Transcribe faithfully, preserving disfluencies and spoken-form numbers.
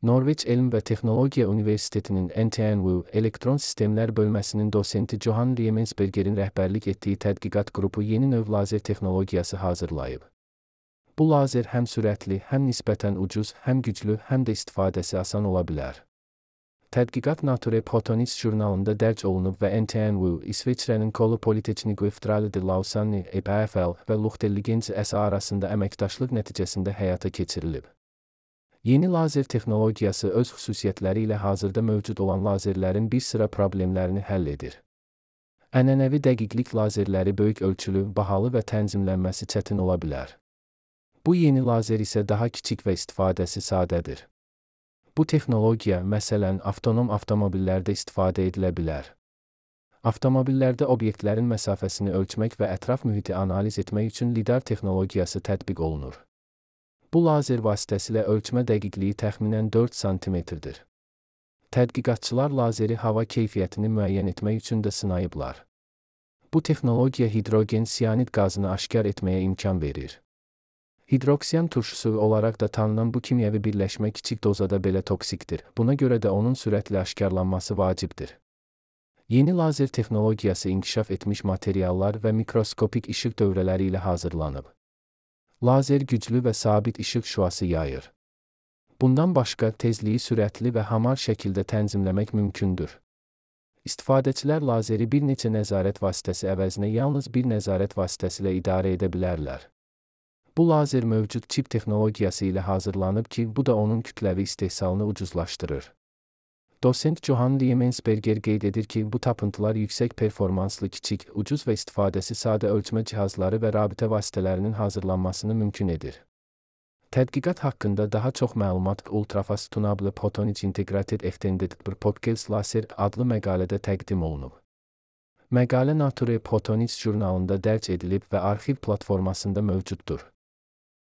Norveç Elm və Texnologiya Universitetinin N T N U Elektron Sistemlər bölməsinin dosenti Johan Liemensberger'in rəhbərlik etdiyi tədqiqat qrupu yeni növ lazer texnologiyası hazırlayıb. Bu lazer həm sürətli, həm nisbətən ucuz, həm güclü, həm də istifadəsi asan ola bilər. Tədqiqat Nature Photonics jurnalında dərc olunub və N T N U, İsveçrənin Kolu Politechniku Eftrali de Lausanne E P F L və Luxtelligence S A arasında əməkdaşlıq nəticəsində həyata keçirilib. Yeni lazer texnologiyası öz xüsusiyyətləri ilə hazırda mövcud olan lazerlərin bir sıra problemlərini həll edir. Ənənəvi dəqiqlik lazerləri böyük ölçülü, bahalı və tənzimlənməsi çətin ola bilər. Bu yeni lazer isə daha kiçik və istifadəsi sadədir. Bu texnologiya, məsələn, avtonom avtomobillərdə istifadə edilə bilər. Avtomobillərdə obyektlərin məsafəsini ölçmək və ətraf mühiti analiz etmək üçün lidar texnologiyası tətbiq olunur. Bu lazer vasitəsilə ölçmə dəqiqliyi təxminən dörd santimetrdir. Tədqiqatçılar lazeri hava keyfiyyətini müəyyən etmək üçün də sınayıblar. Bu texnologiya hidrogen siyanid qazını aşkar etməyə imkan verir. Hidroksiyan turşusu olaraq da tanınan bu kimyəvi birləşmə kiçik dozada belə toksikdir, buna görə də onun sürətli aşkarlanması vacibdir. Yeni lazer texnologiyası inkişaf etmiş materiallar və mikroskopik işıq dövrələri ilə hazırlanıb. Lazer güclü və sabit işıq şüası yayır. Bundan başqa, tezliyi sürətli və hamar şəkildə tənzimləmək mümkündür. İstifadəçilər lazeri bir neçə nəzarət vasitəsi əvəzinə yalnız bir nəzarət vasitəsilə idarə edə bilərlər. Bu lazer mövcud çip texnologiyası ilə hazırlanıb ki, bu da onun kütləvi istehsalını ucuzlaşdırır. Dosent Johan Liemensberger qeyd edir ki, bu tapıntılar yüksək performanslı kiçik, ucuz və istifadəsi sadə ölçmə cihazları və rabitə vasitələrinin hazırlanmasını mümkün edir. Tədqiqat haqqında daha çox məlumat Ultrafast Tunable Photonic Integrated Extended Podcast Laser adlı məqalədə təqdim olunub. Məqalə Nature Photonics jurnalında dərc edilib və arxiv platformasında mövcuddur.